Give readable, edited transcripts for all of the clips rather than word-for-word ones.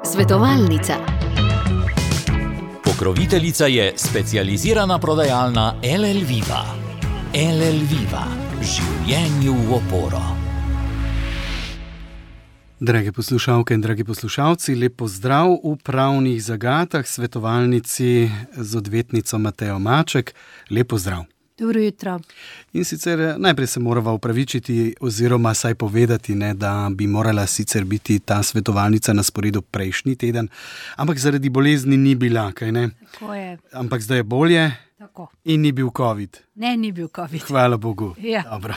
Svetovalnica. Pokroviteljica je specializirana prodajalna LL Viva. LL Viva. Življenju v oporo. Drage poslušalke in dragi poslušalci, lep pozdrav v pravnih zagatah, svetovalnici z odvetnico Matejo Maček. Lep pozdrav. Dobro jutro. In sicer najprej se morava opravičiti oziroma saj povedati, da bi morala sicer biti ta svetovalnica na sporedu prejšnji teden, ampak zaradi bolezni ni bila, kaj ne? Tako je. Ampak zdaj je bolje. Tako. In ni bil COVID. Ne, ni bil COVID. Hvala Bogu. Ja. Dobro.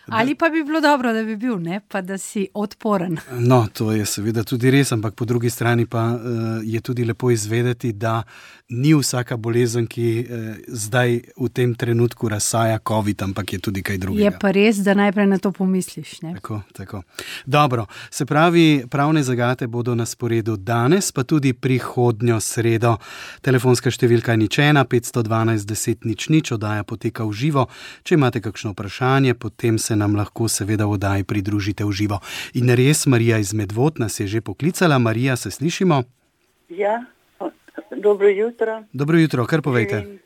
Ali pa bi bilo dobro, da bi bil, ne? Pa da si odporen. No, to je seveda tudi res, ampak po drugi strani pa je tudi lepo izvedeti, da ni vsaka bolezen, ki zdaj v tem trenutku razsaja COVID, ampak je tudi kaj drugega. Je pa res, da najprej na to pomisliš, ne? Tako. Dobro, se pravi, pravne zagate bodo na sporedu danes, pa tudi prihodnjo sredo. Telefonska številka je 512 10 00, oddaja poteka v živo. Če imate kakšno vprašanje, potem se nam lahko seveda v oddaji pridružite v živo. In res, Marija iz Medvod nas je že poklicala. Marija, se slišimo? Ja, dobro jutro. Dobro jutro, kar povejte.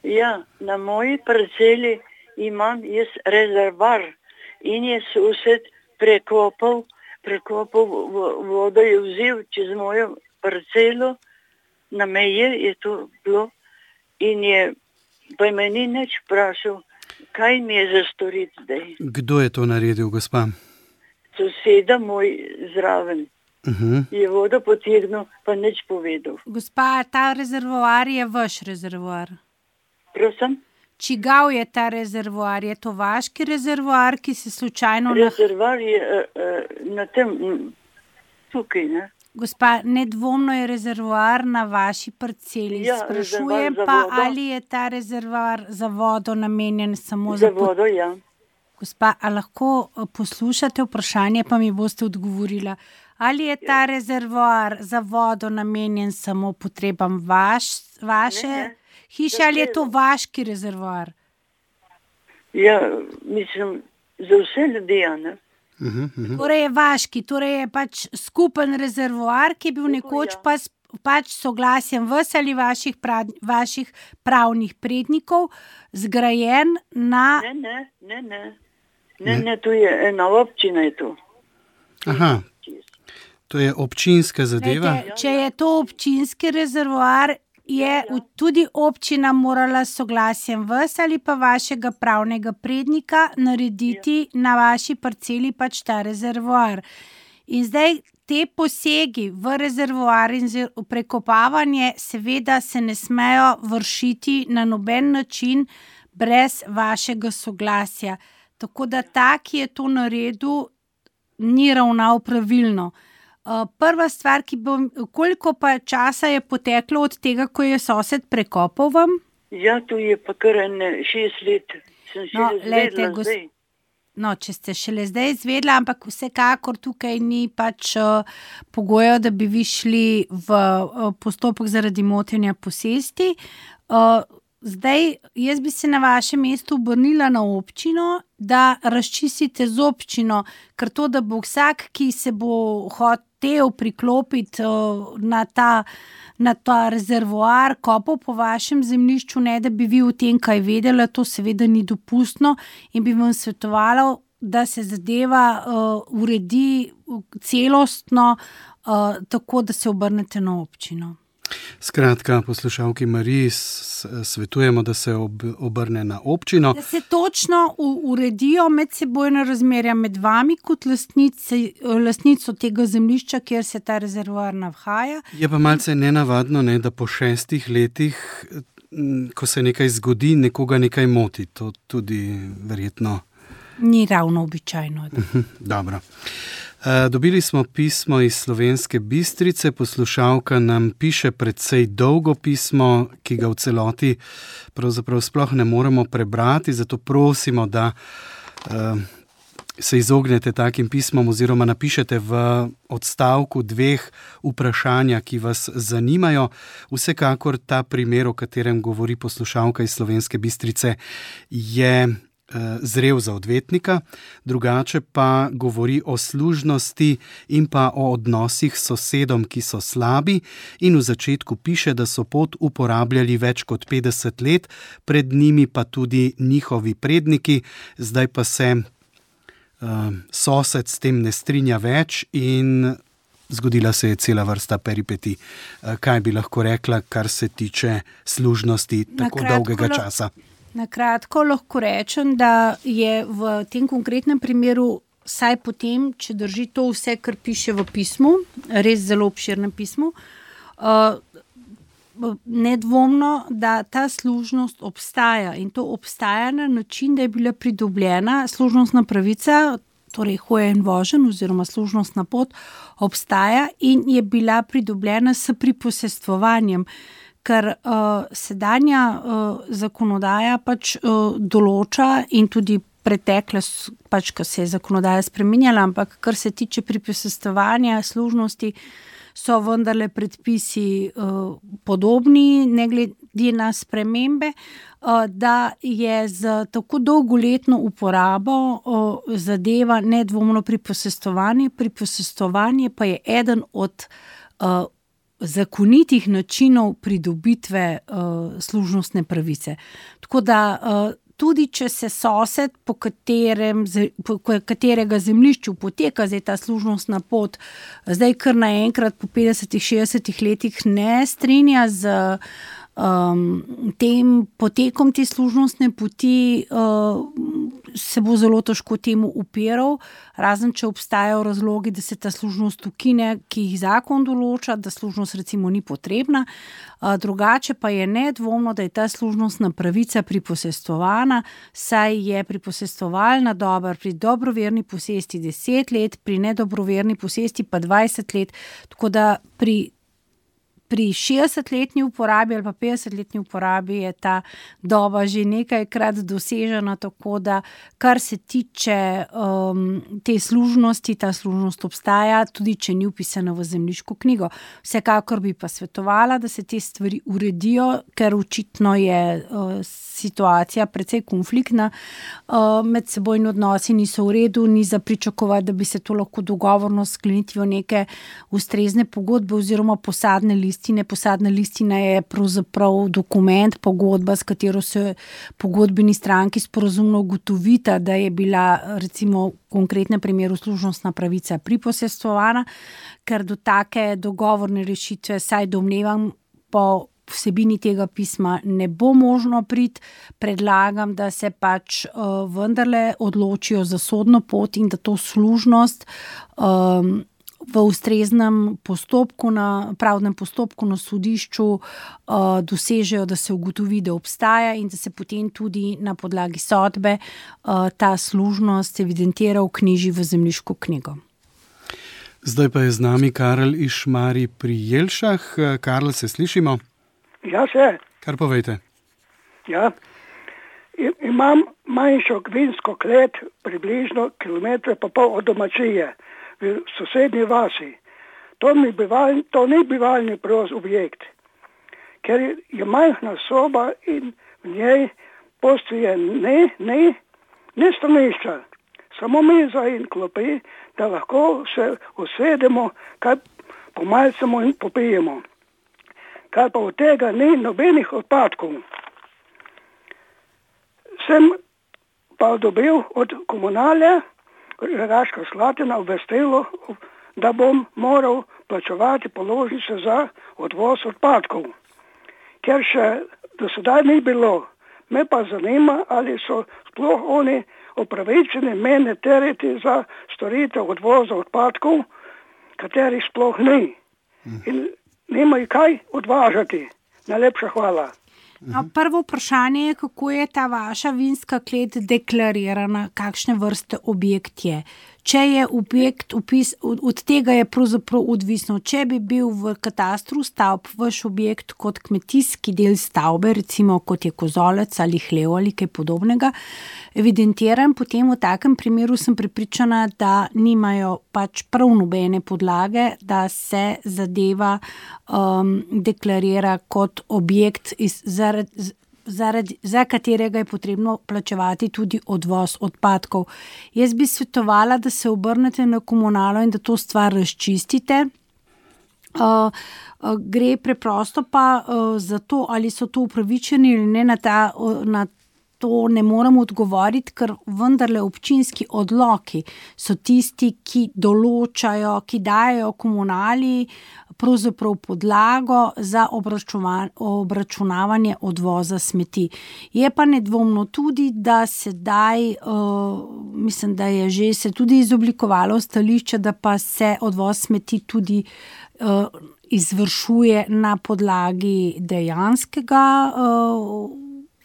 Ja, na moji parceli imam jaz rezervar in je sosed prekopal vodo, je vzel čez mojo parcelo, na meje je to bilo in je pa me ni nič vprašal, kaj mi je za storiti zdaj. Kdo je to naredil, gospa? Soseda moj zraven. Je vodo potegnil, pa nič povedal. Gospa, ta rezervoar je vaš rezervoar. Prosim? Čigav je ta rezervoar? Je to vaški rezervoar, ki se slučajno... Rezervoar je na tem, tukaj, ne? Gospa, nedvomno je rezervoar na vaši parceli. Ja, sprašujem za pa, vodo. ali je ta rezervoar za vodo namenjen samo Za vodo, ja. Gospa, a lahko poslušate vprašanje, pa mi boste odgovorila. Ali je ta rezervoar za vodo namenjen samo potrebam vaše hiše, ali je to vaški rezervoar? Ja, mislim, za vse ljudi, ne? Torej je vaški, torej je pač skupen rezervoar, ki je bil nekoč pač soglasjem vas ali vaših pravnih prednikov zgrajen na... Ne, to je ena občina je to. Aha, to je občinska zadeva. Če je to občinski rezervoar, je tudi občina morala s soglasjem vas ali pa vašega pravnega prednika narediti na vaši parceli pač ta rezervoar. In zdaj te posegi v rezervoar in prekopavanje seveda se ne smejo vršiti na noben način brez vašega soglasja. Tako da ta, ki je to naredil, ni ravnal pravilno. Prva stvar, koliko pa časa je poteklo od tega, ko je sosed prekopal vam? Ja, to je pa kar 6 let. Sem izvedela zdaj. No, če ste šele zdaj izvedela, ampak vsekakor tukaj ni pač pogojev, da bi vi šli v postopek zaradi motenja posesti. Zdaj, jaz bi se na vašem mestu obrnila na občino, da razčistite z občino, ker to, da bo vsak, ki se bo hotel priklopiti na ta rezervoar, kopal po vašem zemljišču, ne da bi vi o tem kaj vedela, to seveda ni dopustno in bi vam svetovala, da se zadeva uredi celostno, tako da se obrnete na občino. Skratka, poslušalki Mariji svetujemo, da se obrne na občino. Da se točno uredijo medsebojna razmerja med vami kot lastnico tega zemljišča, kjer se ta rezervoar nahaja. Je pa malce nenavadno, da po 6 letih, ko se nekaj zgodi, nekoga nekaj moti. To tudi verjetno... Ni ravno običajno. Dobro. Dobili smo pismo iz Slovenske Bistrice, poslušalka nam piše precej dolgo pismo, ki ga v celoti pravzaprav sploh ne moremo prebrati, zato prosimo, da se izognete takim pismom oziroma napišete v odstavku 2 vprašanja, ki vas zanimajo. Vsekakor ta primer, o katerem govori poslušalka iz Slovenske Bistrice, je zrel za odvetnika, drugače pa govori o služnosti in pa o odnosih s sosedom, ki so slabi, in v začetku piše, da so pot uporabljali več kot 50 let, pred njimi pa tudi njihovi predniki, zdaj pa se sosed s tem ne strinja več in zgodila se je cela vrsta peripetij. Kaj bi lahko rekla, kar se tiče služnosti tako dolgega časa? Na kratko lahko rečem, da je v tem konkretnem primeru, saj potem, če drži to vse, kar piše v pismu, res zelo obširnem pismu, nedvomno, da ta služnost obstaja in to obstaja na način, da je bila pridobljena služnostna pravica, torej hojen vožen oziroma služnostna pot obstaja in je bila pridobljena s priposestvovanjem, ker sedanja zakonodaja pač določa in tudi pretekla, pač, ko se je zakonodaja spreminjala, ampak kar se tiče priposestvovanja služnosti, so vendarle predpisi podobni, ne glede na spremembe, da je z tako dolgoletno uporabo zadeva nedvomno priposestvovanje. Priposestvovanje pa je eden od zakonitih načinov pridobitve služnostne pravice. Tako da tudi če se sosed, po katerega zemljišču poteka zdaj ta služnostna pot, zdaj kar naenkrat po 50-60 letih ne strinja z tem potekom te služnostne poti, se bo zelo težko temu upiral, razen če obstajajo razlogi, da se ta služnost ukine, ki jih zakon določa, da služnost recimo ni potrebna. Drugače pa je nedvomno, da je ta služnostna pravica priposestvovana, saj je priposestovalna doba pri dobroverni posesti 10 let, pri nedobroverni posesti pa 20 let, tako da pri 60-letni uporabi ali pa 50-letni uporabi je ta doba že nekajkrat dosežena, tako da kar se tiče te služnosti, ta služnost obstaja, tudi če ni vpisana v zemljiško knjigo. Vsekakor bi pa svetovala, da se te stvari uredijo, ker očitno je situacija precej konfliktna, medsebojni odnosi niso v redu, ni za pričakovati, da bi se to lahko dogovorno sklenitvijo neke ustrezne pogodbe oziroma posadne listine. Posadna listina je pravzaprav dokument, pogodba, s katero se pogodbeni stranki sporazumno ugotovita, da je bila recimo v konkretnem primeru služnostna pravica priposestvovana, ker do take dogovorne rešitve, saj domnevam, po vsebini tega pisma ne bo možno priti. Predlagam, da se pač vendarle odločijo za sodno pot in da to služnost v ustreznem postopku, na pravnem postopku na sodišču dosežejo, da se ugotovi, da obstaja in da se potem tudi na podlagi sodbe ta služnost evidentira, vknjiži v zemljiško knjigo. Zdaj pa je z nami Karel iz Šmarij pri Jelšah. Karel, se slišimo? Ja, se. Kar povejte. Ja, imam manjšo gvinsko klet, približno 1,5 km od domačije v sosednji vasi. To ni bivalni objekt, ker je majhna soba in v njej postoje ne stranišča, samo miza in klopi, da lahko se usedemo, kaj pomalcemo in popijemo. Kar pa od tega ni nobenih odpadkov. Sem pa dobil od komunalja Rogaška Slatina obvestilo, da bom moral plačevati položnice za odvoz odpadkov. Ker še do sedaj ni bilo, me pa zanima, ali so sploh oni upravičeni mene tereti za storitev odvoza odpadkov, katerih sploh ni. In nimajo kaj odvažati. Najlepša hvala. Prvo vprašanje je, kako je ta vaša vinska klet deklarirana, kakšne vrste objekt je. Če je objekt od tega je pravzaprav odvisno. Če bi bil v katastru stavb vaš objekt kot kmetijski del stavbe, recimo kot je kozolec ali hlev ali kaj podobnega, evidentiran, potem v takem primeru sem prepričana, da nimajo pač prav nobene podlage, da se zadeva deklarira kot objekt za katerega je potrebno plačevati tudi odvoz odpadkov. Jaz bi svetovala, da se obrnete na komunalo in da to stvar razčistite. Gre preprosto pa za to, ali so to upravičeni ali ne, na to ne moremo odgovoriti, ker vendarle občinski odloki so tisti, ki določajo, ki dajo komunali pravzaprav podlago za obračunavanje odvoza smeti. Je pa nedvomno tudi, da sedaj, mislim, da je že se tudi izoblikovalo stališče, da pa se odvoz smeti tudi izvršuje na podlagi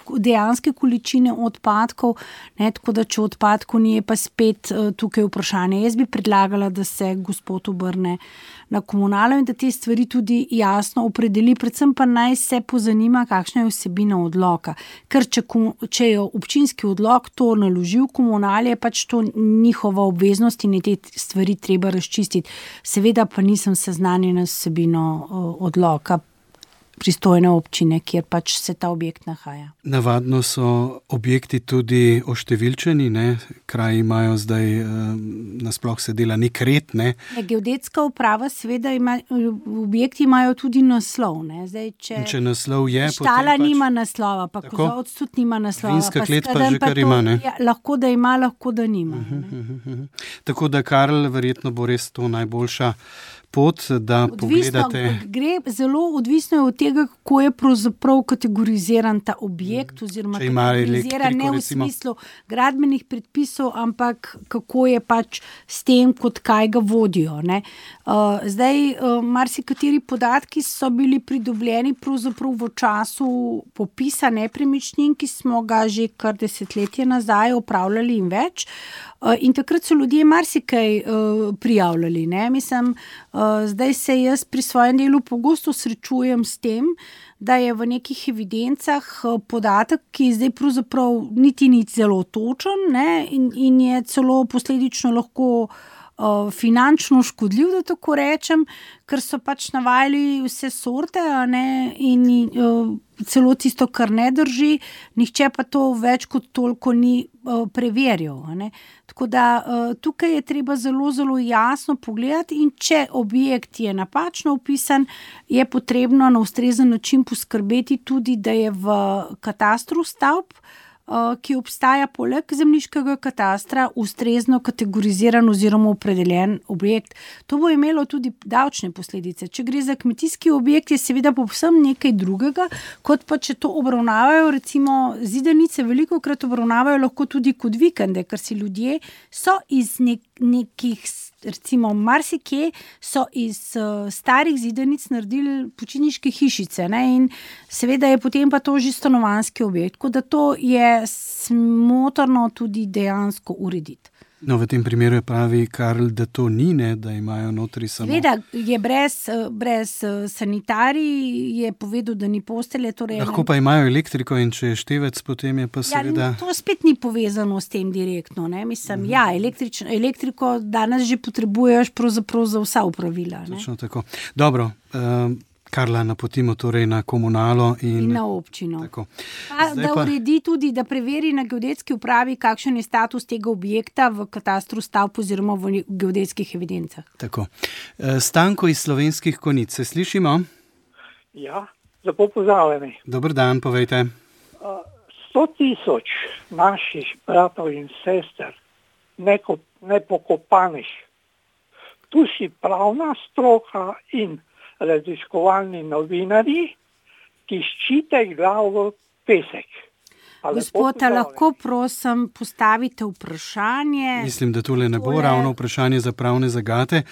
dejanske količine odpadkov, ne, tako da če odpadkov ni, je pa spet tukaj vprašanje. Jaz bi predlagala, da se gospod obrne na komunalo in da te stvari tudi jasno opredeli, predvsem pa naj se pozanima, kakšna je vsebina odloka. Ker če je občinski odlok to naložil komunali, je pač to njihova obveznost in je te stvari treba razčistiti. Seveda pa nisem seznanjena s vsebino odloka pristojne občine, kjer pač se ta objekt nahaja. Navadno so objekti tudi oštevilčeni, ne? Kraji imajo zdaj, nasploh se dela nek red, ne? Geodetska uprava seveda objekti imajo tudi naslov, ne? Zdaj, če naslov je, štala nima naslova, pa kozovec tudi nima naslova. Vinska klet pa že kar ima, ne? Lahko da ima, lahko da nima. Tako da, Karl, verjetno bo res to najboljša pot, da pogledate. Gre zelo odvisno od tega, kako je pravzaprav kategoriziran ta objekt, oziroma kategoriziran ne v smislu gradbenih predpisov, ampak kako je pač s tem, kot kaj ga vodijo, ne. Zdaj, marsikateri podatki so bili pridobljeni pravzaprav v času popisa nepremičnin, ki smo ga že kar desetletje nazaj opravljali in več. In takrat so ljudje marsikaj prijavljali, ne. Mislim, zdaj se jaz pri svojem delu pogosto srečujem s tem, da je v nekih evidencah podatek, ki zdaj pravzaprav niti ni zelo točen, ne, in je celo posledično lahko finančno škodljiv, da tako rečem, ker so pač navajali vse sorte, ne, in celo tisto, kar ne drži, nihče pa to več kot toliko ni preverjal, ne. Tako da tukaj je treba zelo, zelo jasno pogledati in če objekt je napačno opisan, je potrebno na ustrezen način poskrbeti tudi, da je v katastru stavb, ki obstaja poleg zemljiškega katastra, ustrezno kategoriziran oziroma opredeljen objekt. To bo imelo tudi davčne posledice. Če gre za kmetijski objekt, je seveda povsem nekaj drugega, kot pa če to obravnavajo, recimo zidanice velikokrat obravnavajo lahko tudi kot vikende, ker si ljudje so iz nekih, recimo marsikje so iz starih zidanic naredili počitniške hišice, ne, in seveda je potem pa to že stanovanjski objekt, tako da to je smotrno tudi dejansko urediti. No, v tem primeru je pravi Karl, da to ni, ne, da imajo notri samo... Seveda je brez sanitarij, je povedal, da ni postelje. Torej lahko pa imajo elektriko in če je števec, potem je pa seveda... Ja, to spet ni povezano s tem direktno, ne, mislim, ja, elektriko danes že potrebuješ pravzaprav za vsa upravila, ne. Točno tako. Dobro, Karla napotimo torej na komunalo in na občino. Da uredi tudi, da preveri na geodetski upravi, kakšen je status tega objekta v katastru stavb oziroma v geodetskih evidencah. Tako. Stanko iz Slovenskih Konjic, se slišimo? Ja, lepo pozdravljeni. Dober dan, povejte. 100,000 naših bratov in sester nepokopanih. Tu si pravna stroka in raziskovalni novinarji, ki ščite glavo v pesek. Gospod, lahko prosim postavite vprašanje? Mislim, da tole ne bo ravno vprašanje za pravne zagate.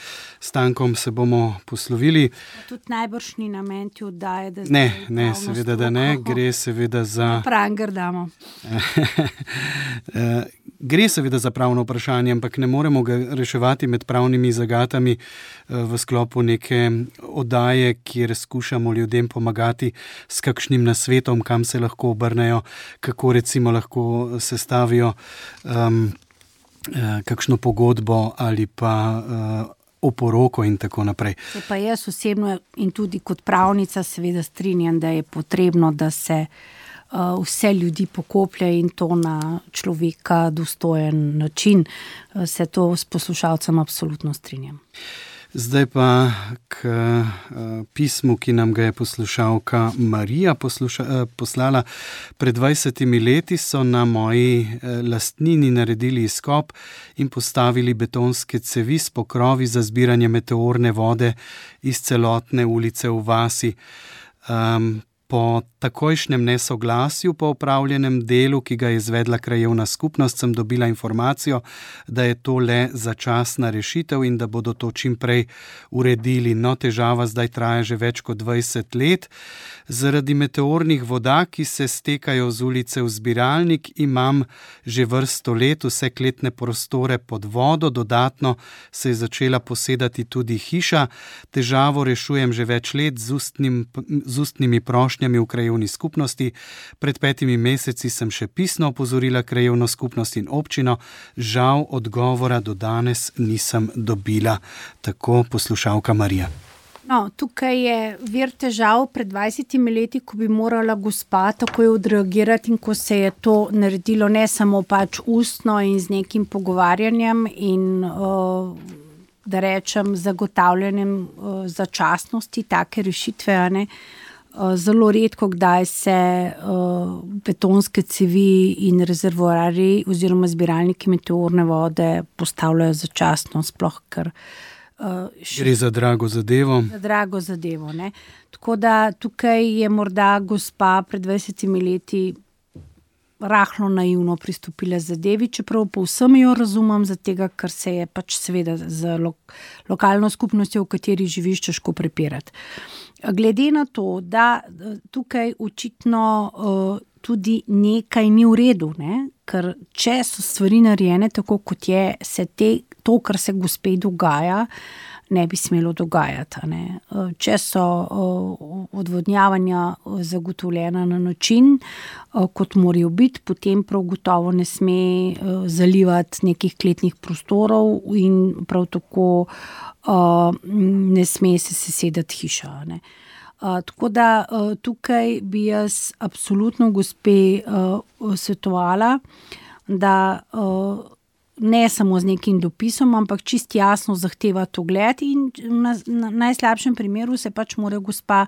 S Stankom se bomo poslovili. Tudi najbrž ni namen ti oddaje, da ne, seveda da ne, gre seveda za... Pranger damo. Gre seveda za pravno vprašanje, ampak ne moremo ga reševati med pravnimi zagatami v sklopu neke oddaje, kjer skušamo ljudem pomagati s kakšnim nasvetom, kam se lahko obrnejo, kako recimo lahko sestavijo kakšno pogodbo ali pa oporoko in tako naprej. Se pa jaz osebno in tudi kot pravnica seveda strinjam, da je potrebno, da se vse ljudi pokoplje in to na človeka dostojen način. Se to s poslušalcem absolutno strinjam. Zdaj pa k pismu, ki nam ga je poslušalka Marija poslala. Pred 20 leti so na moji lastnini naredili izkop in postavili betonske cevi s pokrovi za zbiranje meteorne vode iz celotne ulice v vasi. Po takojšnjem nesoglasju po opravljenem delu, ki ga je izvedla krajevna skupnost, sem dobila informacijo, da je to le začasna rešitev in da bodo to čim prej uredili. No, težava zdaj traja že več kot 20 let. Zaradi meteornih voda, ki se stekajo z ulice v zbiralnik, imam že vrsto let vse kletne prostore pod vodo, dodatno se je začela posedati tudi hiša. Težavo rešujem že več let z ustnimi prošnjami v krajevni skupnosti. Pred 5 meseci sem še pisno opozorila krajevno skupnost in občino. Žal odgovora do danes nisem dobila. Tako poslušalka Marija. No, tukaj je vir težav pred 20 leti, ko bi morala gospa takoj odreagirati in ko se je to naredilo ne samo pač ustno in z nekim pogovarjanjem in da rečem zagotavljanjem začasnosti take rešitve, a ne. Zelo redko kdaj se betonske cevi in rezervoarji oziroma zbiralniki meteorne vode postavljajo začasno, sploh ker gre za drago zadevo. Za drago zadevo, ne. Tako da tukaj je morda gospa pred 20 leti rahlo naivno pristopila zadevi, čeprav povsem jo razumem, zatega, ker se je pač seveda z lokalno skupnostjo, v kateri živiš, težko prepirati. Glede na to, da tukaj očitno tudi nekaj ni v redu, ne? Ker če so stvari narejene tako, kot je, se to, kar se gospe dogaja, ne bi smelo dogajati. Ne? Če so odvodnjavanja zagotovljena na način, kot morajo biti, potem prav gotovo ne sme zalivati nekih kletnih prostorov in prav tako ne sme se sesedati hiša. Ne? Tako da tukaj bi jaz absolutno gospe svetovala, da ne samo z nekim dopisom, ampak čist jasno zahteva to gled in na najslabšem primeru se pač mora gospa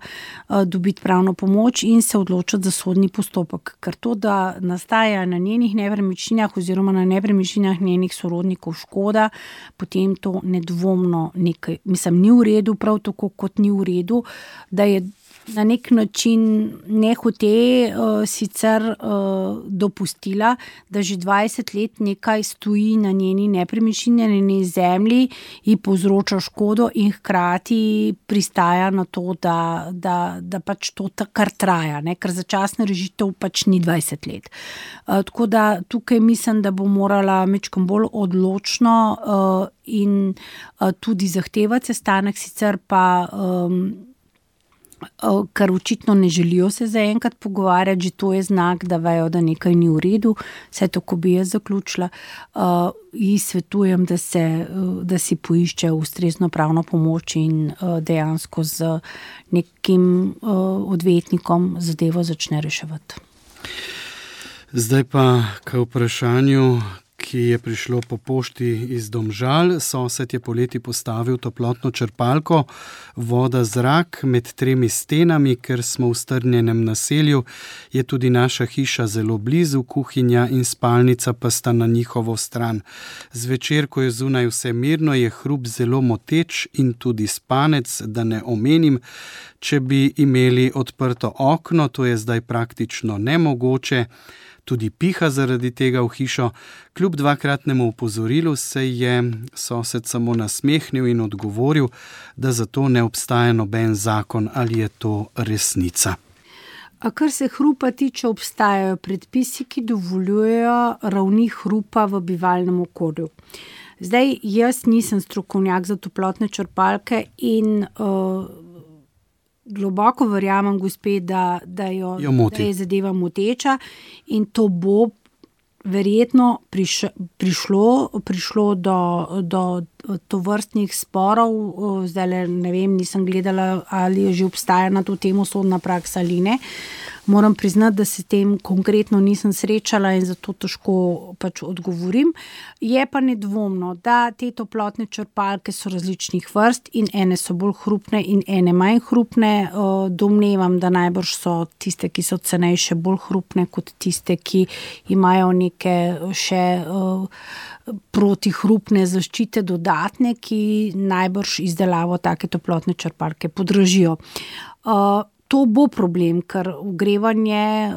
dobiti pravno pomoč in se odločiti za sodni postopek. Ker to, da nastaja na njenih nepremičninah oziroma na nepremičninah njenih sorodnikov škoda, potem to nedvomno nekaj, mislim, ni v redu, prav tako kot ni v redu, da je na nek način nehote sicer dopustila, da že 20 let nekaj stoji na njeni nepremičnini, na njeni zemlji in povzroča škodo in hkrati pristaja na to, da pač to kar traja, ne? Ker začasna rešitev pač ni 20 let. Tako da tukaj mislim, da bo morala majčkeno bolj odločno in tudi zahtevati sestanek, sicer pa ker očitno ne želijo se zaenkrat pogovarjati, že to je znak, da vejo, da nekaj ni v redu, vse tako bi jaz zaključila. In svetujem, da si poišče ustrezno pravno pomoč in dejansko z nekim odvetnikom zadevo začne reševati. Zdaj pa k vprašanju, ki je prišlo po pošti iz Domžal. Sosed je poleti postavil toplotno črpalko, voda, zrak med 3 stenami, ker smo v strnjenem naselju, je tudi naša hiša zelo blizu, kuhinja in spalnica pa sta na njihovo stran. Zvečer, ko je zunaj vse mirno, je hrup zelo moteč in tudi spanec, da ne omenim. Če bi imeli odprto okno, to je zdaj praktično nemogoče. Tudi piha zaradi tega v hišo. Kljub 2-kratnemu opozorilu se je sosed samo nasmehnil in odgovoril, da za to ne obstaja noben zakon. Ali je to resnica? Kar se hrupa tiče, obstajajo predpisi, ki dovoljujejo ravni hrupa v bivalnem okolju. Zdaj, jaz nisem strokovnjak za toplotne črpalke in globoko verjamem gospe, da je zadeva moteča in to bo verjetno prišlo do tovrstnih sporov, zdaj ne vem, nisem gledala, ali že obstaja na to temo sodna praksa ali ne. Moram priznati, da se tem konkretno nisem srečala in zato težko pač odgovorim. Je pa nedvomno, da te toplotne črpalke so različnih vrst in ene so bolj hrupne in ene manj hrupne. Domnevam, da najbrž so tiste, ki so cenejše, bolj hrupne kot tiste, ki imajo neke še protihrupne zaščite dodatne, ki najbrž izdelavo take toplotne črpalke podražijo. To bo problem, ker ogrevanje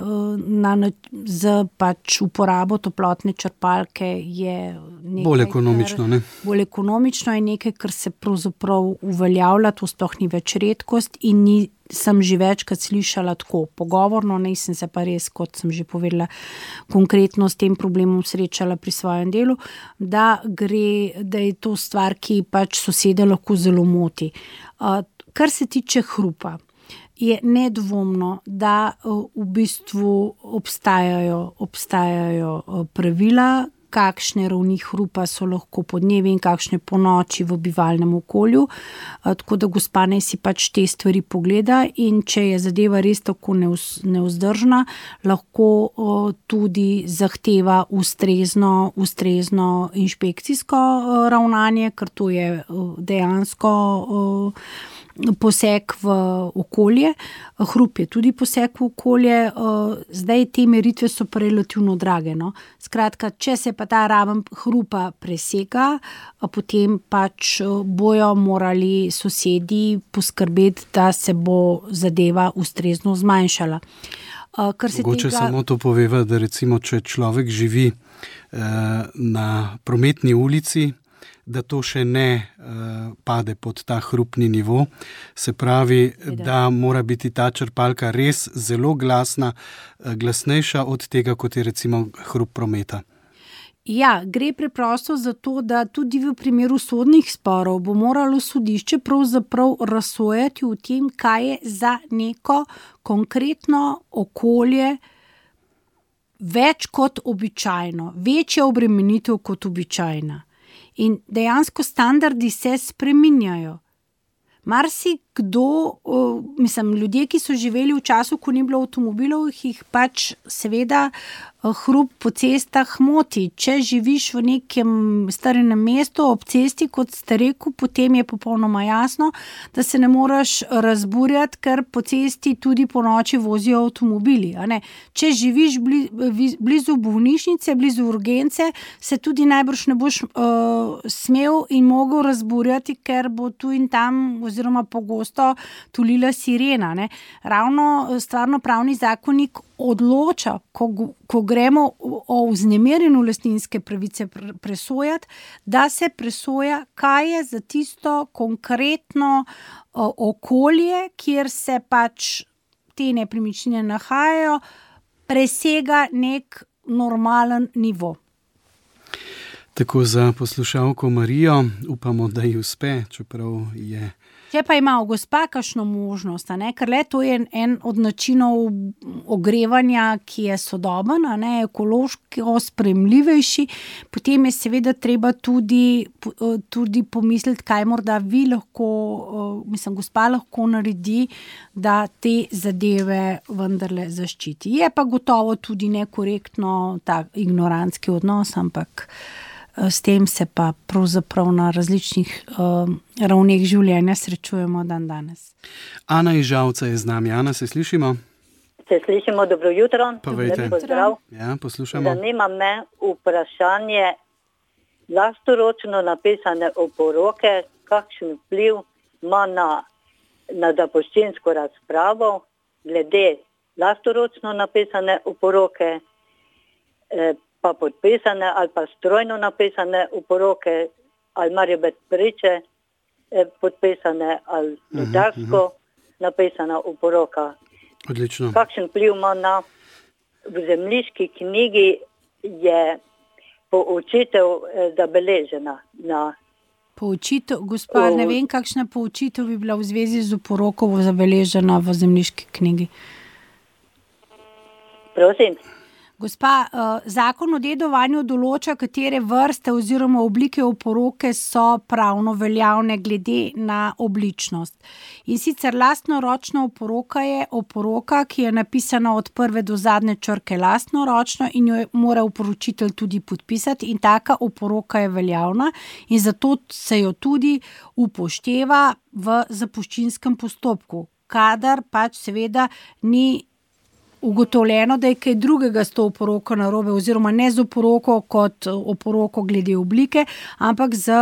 z pač uporabo toplotne črpalke je nekaj, bolj ekonomično, ne? Bolj ekonomično je nekaj, kar se pravzaprav uveljavlja, to sploh ni več redkost in sem že večkrat slišala tako pogovorno, nisem se pa res, kot sem že povedala, konkretno s tem problemom srečala pri svojem delu, da je to stvar, ki pač sosede lahko zelo moti. Kar se tiče hrupa, je nedvomno, da v bistvu obstajajo pravila, kakšne ravni hrupa so lahko podnevi in kakšne po noči v bivalnem okolju. Tako da gospa naj si pač te stvari pogleda in če je zadeva res tako nevzdržna, lahko tudi zahteva ustrezno inšpekcijsko ravnanje, ker to je dejansko poseg v okolje. Hrup je tudi poseg v okolje. Zdaj te meritve so pa relativno drage. No? Skratka, če se pa ta raven hrupa presega, potem pač bojo morali sosedi poskrbeti, da se bo zadeva ustrezno zmanjšala. Mogoče samo to poveva, da recimo, če človek živi na prometni ulici, da to še ne pade pod ta hrupni nivo. Se pravi, da mora biti ta črpalka res zelo glasna, glasnejša od tega, kot je recimo hrup prometa. Ja, gre preprosto za to, da tudi v primeru sodnih sporov bo moralo sodišče pravzaprav razsojati v tem, kaj je za neko konkretno okolje več kot običajno, večja obremenitev kot običajna. In dejansko standardi se spreminjajo. Ljudje, ki so živeli v času, ko ni bilo avtomobilov, jih pač seveda hrup po cestah moti. Če živiš v nekem starem mestu ob cesti, kot ste rekel, potem je popolnoma jasno, da se ne moreš razburjati, ker po cesti tudi po noči vozijo avtomobili. A ne? Če živiš blizu bolnišnice, blizu urgence, se tudi najbrž ne boš smel in mogel razburjati, ker bo tu in tam oziroma pogosto tulila sirena. Ne? Ravno stvarnopravni zakonik odloča, ko gremo o vznemirjenju lastninske pravice presojati, da se presoja, kaj je za tisto konkretno okolje, kjer se pač te nepremičnine nahajajo, presega nek normalen nivo. Tako za poslušalko Marijo, upamo, da ji uspe, čeprav je... Če pa ima gospa kakšno možnost, ker to je en od načinov ogrevanja, ki je sodoben, ekološko sprejemljivejši, potem je seveda treba tudi pomisliti, kaj morda gospa lahko naredi, da te zadeve vendarle zaščiti. Je pa gotovo tudi nekorektno ta ignorantski odnos, ampak s tem se pa pravzaprav na različnih ravneh življenja srečujemo dan danes. Ana iz Žalca je z nami. Ana, se slišimo? Se slišimo, dobro jutro. Povejte. Pozdrav. Ja, poslušamo. Zanima me vprašanje lastoročno napisane oporoke, kakšen vpliv ima na zapuščinsko razpravo glede lastoročno napisane oporoke, pa podpisane ali pa strojno napisane oporoke, ali morajo biti priče podpisane ali notarsko napisana oporoka. Odlično. Kakšen vpliv ima v zemljiški knjigi je poučitev zabeležena na... Poučitev, gospa, ne vem, kakšna poučitev bi bila v zvezi z oporoko zabeležena v zemljiški knjigi. Prosim? Gospa, zakon o dedovanju določa, katere vrste oziroma oblike oporoke so pravno veljavne glede na obličnost. In sicer lastnoročna oporoka je oporoka, ki je napisana od prve do zadnje črke lastnoročno in jo mora oporočitelj tudi podpisati, in taka oporoka je veljavna in zato se jo tudi upošteva v zapuščinskem postopku, kadar pač seveda ni ugotovljeno, da je kaj drugega s to oporoko narobe, oziroma ne z oporoko kot oporoko glede oblike, ampak z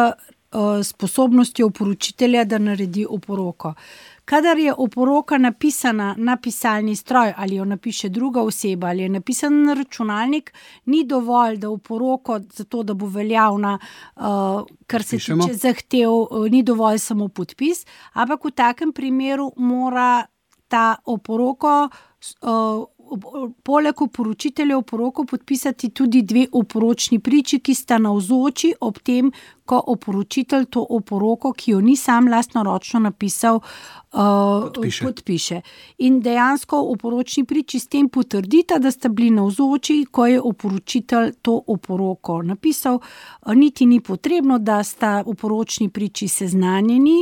sposobnostjo oporočitelja, da naredi oporoko. Kadar je oporoka napisana na pisalni stroj ali jo napiše druga oseba ali je napisana na računalnik, ni dovolj, da oporoko, zato da bo veljavna, kar se tiče zahtev, ni dovolj samo podpis, ampak v takem primeru mora ta oporoko poleg oporočitelja oporoko podpisati tudi 2 oporočni priči, ki sta navzoči ob tem, ko oporočitelj to oporoko, ki jo ni sam lastnoročno napisal, podpiše. In dejansko oporočni priči s tem potrdita, da sta bili navzoči, ko je oporočitelj to oporoko napisal. Niti ni potrebno, da sta oporočni priči seznanjeni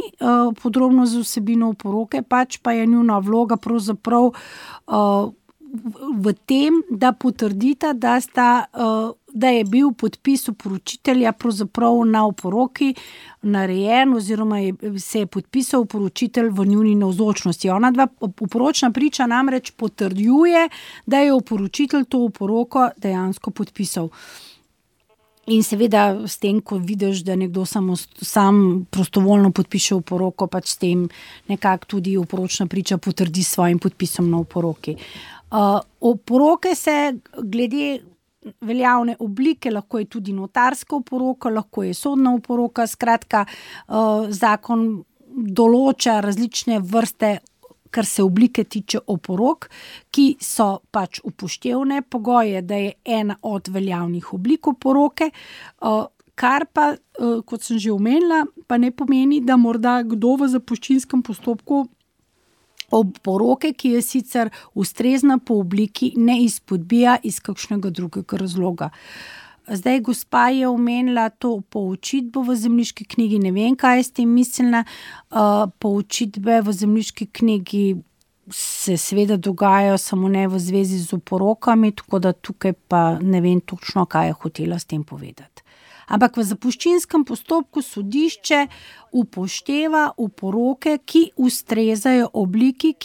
podrobno z vsebino oporoke, pač pa je njuna vloga pravzaprav v tem, da potrdita, da je bil podpis oporočitelja pravzaprav na oporoki narejen oziroma se je podpisal oporočitelj v njuni navzočnosti. Ona dva oporočna priča namreč potrjuje, da je oporočitelj to oporoko dejansko podpisal. In seveda s tem, ko vidiš, da nekdo sam prostovoljno podpiše oporoko, pač s tem nekako tudi oporočna priča potrdi s svojim podpisom na oporoki. Oporoke se glede veljavne oblike, lahko je tudi notarska oporoka, lahko je sodna oporoka, skratka, zakon določa različne vrste, kar se oblike tiče oporok, ki so pač upoštevne. Pogoj je, da je ena od veljavnih oblik oporoke, kar pa, kot sem že omenila, pa ne pomeni, da morda kdo v zapuščinskem postopku oporoke, ki je sicer ustrezna po obliki, ne izpodbija iz kakšnega drugega razloga. Zdaj, gospa je omenila to poučitbo v zemljiški knjigi, ne vem, kaj je s tem mislila. Poučitbe v zemljiški knjigi se seveda dogajajo, samo ne v zvezi z oporokami, tako da tukaj pa ne vem točno, kaj je hotela s tem povedati. Ampak v zapuščinskem postopku sodišče upošteva oporoke, ki ustrezajo obliki,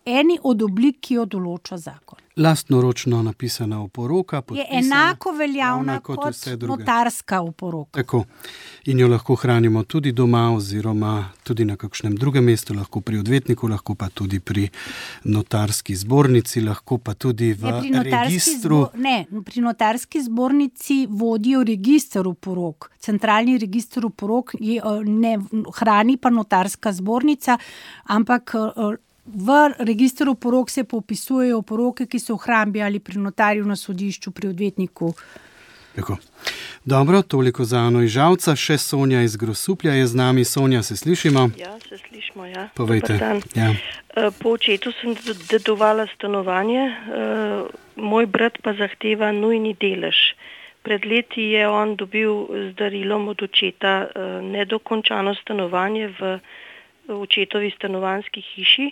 eni od oblik, ki jo določa zakon. Lastnoročno napisana oporoka je enako veljavna kot notarska oporoka. Tako. In jo lahko hranimo tudi doma oziroma tudi na kakšnem drugem mestu, lahko pri odvetniku, lahko pa tudi pri notarski zbornici, lahko pa tudi v registru. Pri notarski zbornici vodijo register oporok. Centralni register oporok ne hrani pa notarska zbornica, ampak v registru oporok se popisujejo oporoke, ki so v hrambi ali pri notarju, na sodišču, pri odvetniku. Tako. Dobro, toliko za Ano iz Žalca. Še Sonja iz Grosuplja je z nami. Sonja, se slišimo? Ja, se slišimo, ja. Povejte. Ja. Po očetu sem dedovala stanovanje, moj brat pa zahteva nujni delež. Pred leti je on dobil z darilom od očeta nedokončano stanovanje v očetovi stanovanjski hiši,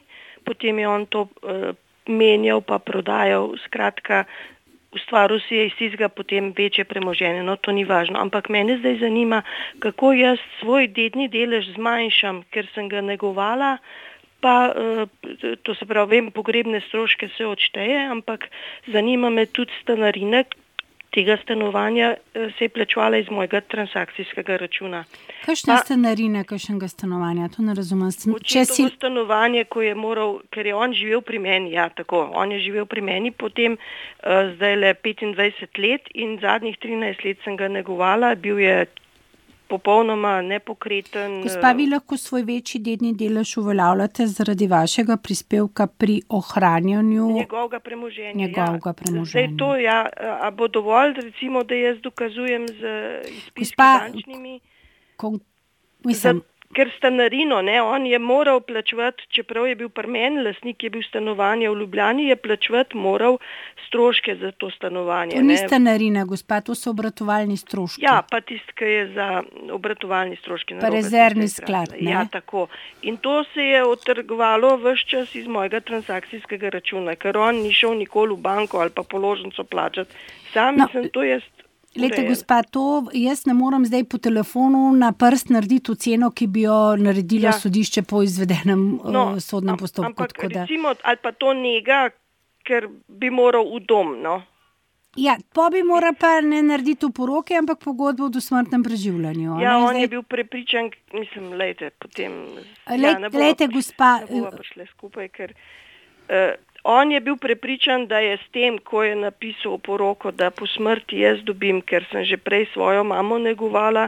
potem je on to menjal pa prodajal, skratka, ustvaril si je iz tistega potem večje premoženje, no to ni važno, ampak mene zdaj zanima, kako jaz svoj dedni delež zmanjšam, ker sem ga negovala, pa to se pravi, vem, pogrebne stroške se odšteje, ampak zanima me tudi stanarina tega stanovanja se je plačevala iz mojega transakcijskega računa. Kakšna stanarina kakšnega stanovanja? To ne razumem. Očetovo stanovanje, ko je moral, ker je on živel pri meni, ja, tako, on je živel pri meni, potem zdaj le 25 let in zadnjih 13 let sem ga negovala, bil je popolnoma nepokreten. Gospa, vi lahko svoj večji dedni delež uveljavljate zaradi vašega prispevka pri ohranjanju njegovega premoženja. Zdaj to, ja, a bo dovolj, recimo, da jaz dokazujem z izpiski bančnimi? ker stanarino, on je moral plačevati, čeprav je bil pri meni lastnik, je bil stanovanje v Ljubljani, je plačevati moral stroške za to stanovanje. To ni stanarina, gospa, to so obratovalni stroški. Ja, pa tisti, ki je za obratovalni stroški. Pa rezervni sklad, ne? Ja, tako. In to se je otrgovalo ves čas iz mojega transakcijskega računa, ker on ni šel nikoli v banko ali pa položnico plačati. Sam sem to jaz. Lejte, gospa, to jaz ne morem zdaj po telefonu na prst narediti oceno, ki bi jo naredilo sodišče po izvedenem sodnem postopku. Ampak recimo, ali pa to njega, ker bi moral v dom, Ja, pa bi moral pa ne narediti oporoke, ampak pogodbo o dosmrtnem preživljanju. Ja, on je bil prepričan, mislim, potem... Lejte, gospa... Ne bova prišle skupaj, ker... On je bil prepričan, da je s tem, ko je napisal oporoko, da po smrti jaz dobim, ker sem že prej svojo mamo negovala,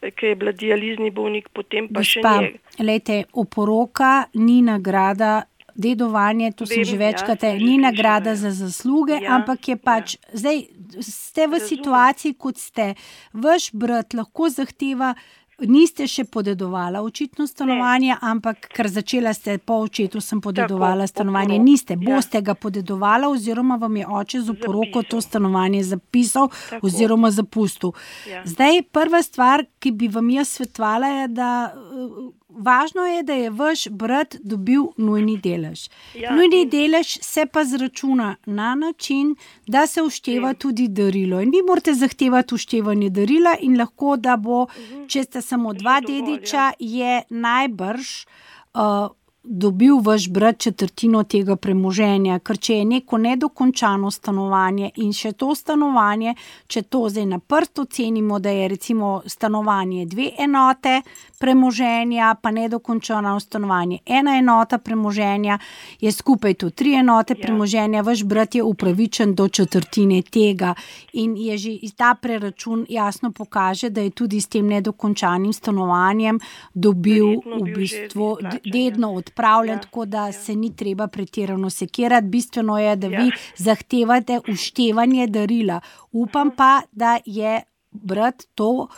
ki je bila dializni bolnik, potem pa še njega. Lejte, oporoka ni nagrada, dedovanje, to sem že večkrat, ni nagrada za zasluge, ampak je pač, zdaj ste v situaciji, kot ste, vaš brat lahko zahteva, niste še podedovala očitno stanovanje, ampak ker začela ste po očetu sem podedovala stanovanje, niste, boste ga podedovala oziroma vam je oče z oporoko to stanovanje zapisal oziroma zapustil. Zdaj, prva stvar, ki bi vam jaz svetovala, je, da važno je, da je vaš brat dobil nujni delež. Nujni delež se pa zračuna na način, da se ušteva tudi darilo. In vi morate zahtevati uštevanje darila in lahko, da bo, če ste samo dva dediča, je najbrž dobil vaš brat četrtino tega premoženja, ker če je neko nedokončano stanovanje in še to stanovanje, če to zdaj na prst ocenimo, da je recimo stanovanje 2 enote premoženja, pa nedokončano stanovanje 1 enota premoženja, je skupaj to 3 enote premoženja, vaš brat je upravičen do četrtine tega in je že ta preračun jasno pokaže, da je tudi s tem nedokončanim stanovanjem dobil v bistvu dedno odpravljen, tako da se ni treba pretirano sekirati. Bistveno je, da vi zahtevate uštevanje darila. Upam pa, da je brat to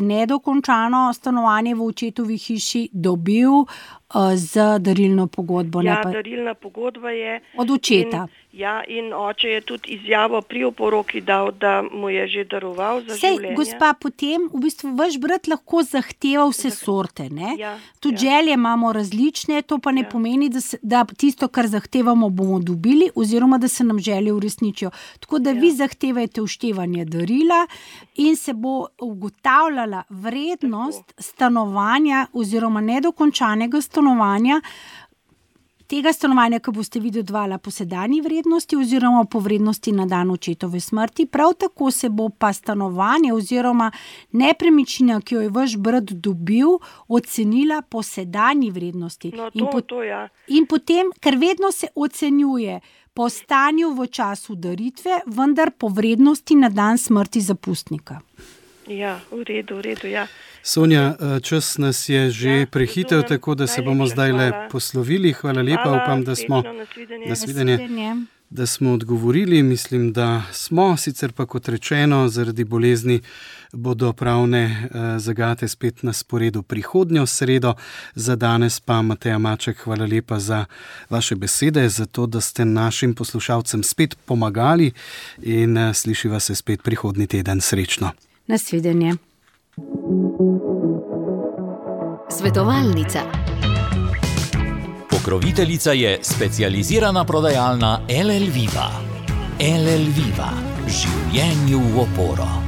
nedokončano stanovanje v očetovi hiši dobil z darilno pogodbo. Darilna pogodba je od očeta. In oče je tudi izjavo pri oporoki dal, da mu je že daroval za življenje. Gospa, potem v bistvu vaš brat lahko zahteva vse sorte, ne? Tudi želje imamo različne, to pa ne pomeni, da tisto, kar zahtevamo, bomo dobili oziroma, da se nam želje uresničijo. Tako da vi zahtevajte uštevanje darila in se bo ugotavljala vrednost stanovanja oziroma nedokončanega stanovanja, tega stanovanja, ki boste vi dodvala po sedanji vrednosti oziroma po vrednosti na dan očetove smrti. Prav tako se bo pa stanovanje oziroma nepremičnina, ki jo je vaš brat dobil, ocenila po sedanji vrednosti. In potem, ker vedno se ocenjuje po stanju v času daritve, vendar po vrednosti na dan smrti zapustnika. Ja, v redu, ja. Sonja, čas nas je že prehitev, tako da se bomo zdaj le poslovili. Hvala lepa, upam, da smo da smo odgovorili. Mislim, da smo, sicer pa kot rečeno, zaradi bolezni bodo pravne zagate spet na sporedu prihodnjo sredo. Za danes pa, Mateja Maček, hvala lepa za vaše besede, za to, da ste našim poslušalcem spet pomagali in slišiva se spet prihodnji teden. Srečno. Nasvidenje. Svetovalnica. Pokroviteljica je specializirana prodajalna LL Viva. LL Viva. Življenju v oporo.